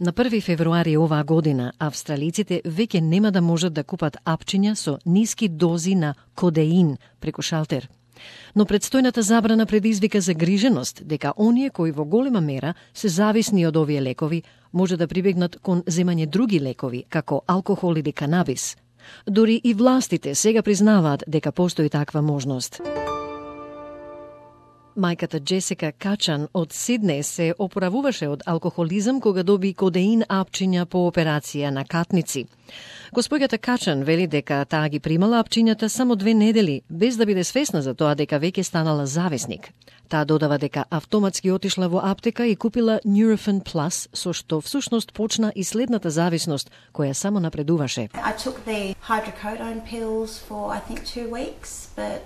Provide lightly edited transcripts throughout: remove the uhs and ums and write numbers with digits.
На 1 февруари оваа година, австралиците веќе нема да можат да купат апчиња со ниски дози на кодеин преку шалтер. Но предстојната забрана предизвика загриженост дека оние кои во голема мера се зависни од овие лекови може да прибегнат кон земање други лекови, како алкохол или канабис. Дури и властите сега признаваат дека постои таква можност. Мајката Джесика Качан од Сиднеј се опоравуваше од алкохолизам кога доби кодеин апчиња по операција на катници. Госпоѓата Качан вели дека таа ги примала апчињата само 2 недели, без да биде свесна за тоа дека веќе станала зависник. Таа додава дека автоматски отишла во аптека и купила Nurofen Plus, со што всушност почна и следната зависност, која само напредуваше. I took the hydrocodone pills for I think 2 weeks, but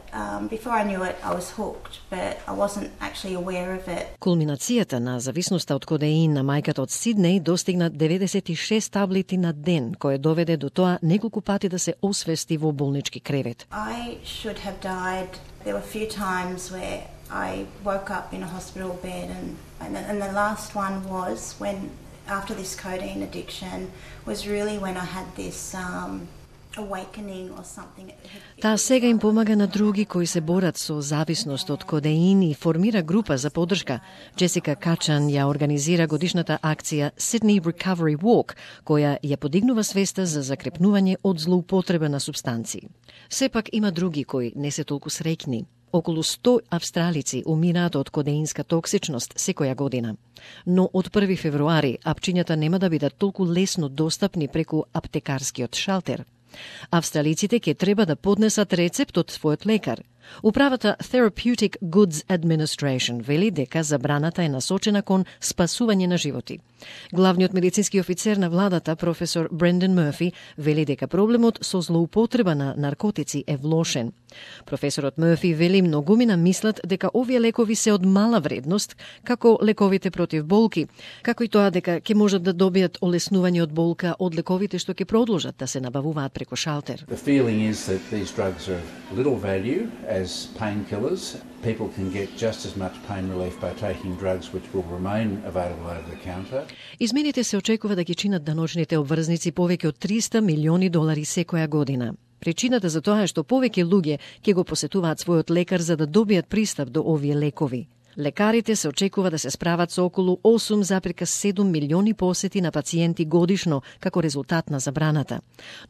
before I knew it I was hooked, but I wasn't actually aware of it. Кулминацијата на зависноста од кодеин на мајката од Сиднеј достигна 96 таблети на ден, кое доведе до тоа неколку пати да се освести во болнички кревет. I should have died. There were a few times where I woke up in a hospital bed and the last one was when after this codeine addiction was really when I had this awakening or something. Таа сега им помага на други кои се борат со зависност од кодеин и формира група за поддршка. Джесика Качан ја организира годишната акција Sydney Recovery Walk, која ја подигнува свеста за закрепнување од злоупотреба на супстанции. Сепак има други кои не се толку среќни. Околу 100 австралици умираат од кодеинска токсичност секоја година. Но од 1 февруари апчињата нема да бидат толку лесно достапни преку аптекарскиот шалтер. Австралиците ќе треба да поднесат рецепт од својот лекар. Управата Therapeutic Goods Administration вели дека забраната е насочена кон спасување на животи. Главниот медицински офицер на владата, професор Брендан Мърфи, вели дека проблемот со злоупотреба на наркотици е влошен. Професорот Мърфи вели многумина мислат дека овие лекови се од мала вредност, како лековите против болки, како и тоа дека ќе можат да добијат олеснување од болка од лековите што ќе продолжат да се набавуваат преку шалтер. The feeling is that these drugs are of little value as painkillers. People can get just as much pain relief by taking drugs which will remain available over the counter. Измените се очекува да ги чинат даночните обврзници повеќе од $300 милиони секоја година. Причината за тоа е што повеќе луѓе ќе го посетуваат својот лекар за да добијат пристап до овие лекови. Лекарите се очекува да се справат со околу 8,7 милиони посети на пациенти годишно како резултат на забраната.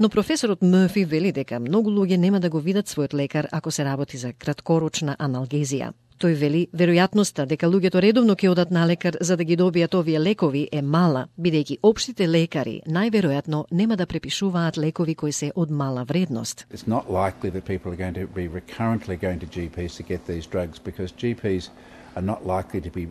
Но професорот Мърфи вели дека многу луѓе нема да го видат својот лекар ако се работи за краткорочна аналгезија. Тој вели, веројатноста дека луѓето редовно ќе одат на лекар за да ги добијат овие лекови е мала, бидејќи општите лекари најверојатно нема да препишуваат лекови кои се од мала вредност. It's not likely that people are going to be recurrently going to GPs to get these drugs because GPs are not likely to be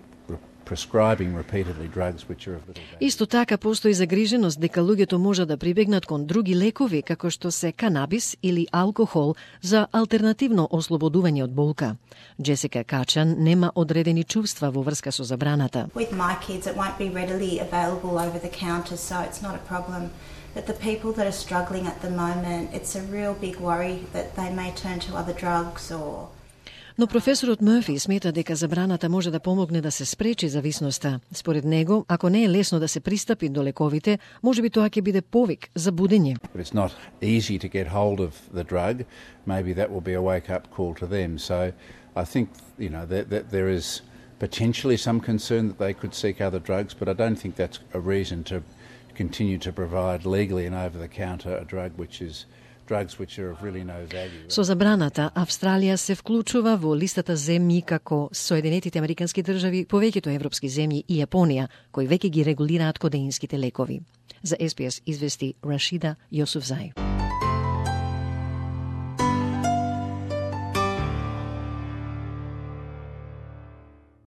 prescribing repeatedly drugs which are of little value. Исто така постои загриженост дека луѓето можат да прибегнат кон други лекови како што се канабис или алкохол за алтернативно ослободување од болка. Джесика Качан нема одредени чувства во врска со забраната. With my kids it won't be readily available over the counter, so it's not a problem. But the people that are struggling at the moment, it's a real big worry that they may turn to other drugs or. Но професорот Мърфи смета дека забраната може да помогне да се спречи зависноста. Според него, ако не е лесно да се пристапи до лековите, можеби тоа ќе биде повик за будење. If it's not easy to get hold of the drug, maybe that will be a wake-up call to them. So I think, that there is potentially some concern that they could seek other drugs, but I don't think that's a reason to continue to provide legally and over-the-counter a drug which is drugs which are of really no value. Со забраната, Австралија се вклучува во листата земји како Соединетите Американски држави, повеќето европски земји и Јапонија, кои веќе ги регулираат кодеинските лекови. За SBS извести Рашида Јосуфзај.